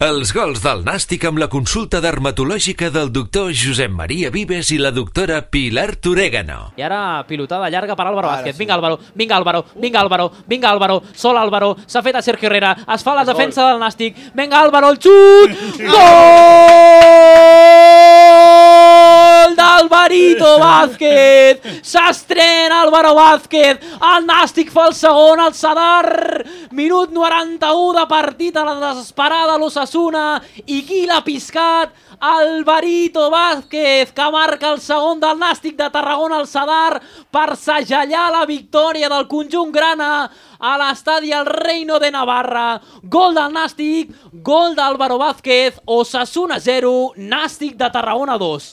Els gols del Nàstic amb la consulta dermatològica del doctor Josep Maria Vives i la doctora Pilar Torégano. I ara pilotada llarga per Álvaro Vázquez. sí. Vinga Álvaro, vinga Álvaro, vinga Álvaro, vinga Álvaro, sol Álvaro, s'ha fet a Sergio Herrera, es fa la defensa del Nàstic. Vinga Álvaro, el xut! Gol d'Alvarito Vázquez! S'estrena Álvaro Vázquez, el Nàstic fa el segon, el Sadar, minut 91 de partit a la desesperada l'Osasuna, i qui l'ha piscat? Alvarito Vázquez, que marca el segon del Nàstic de Tarragona al Sadar per segellar la victòria del conjunt grana a l'estadi El Reino de Navarra. Gol del Nàstic, gol d'Álvaro Vázquez, Osasuna 0, Nàstic de Tarragona 2.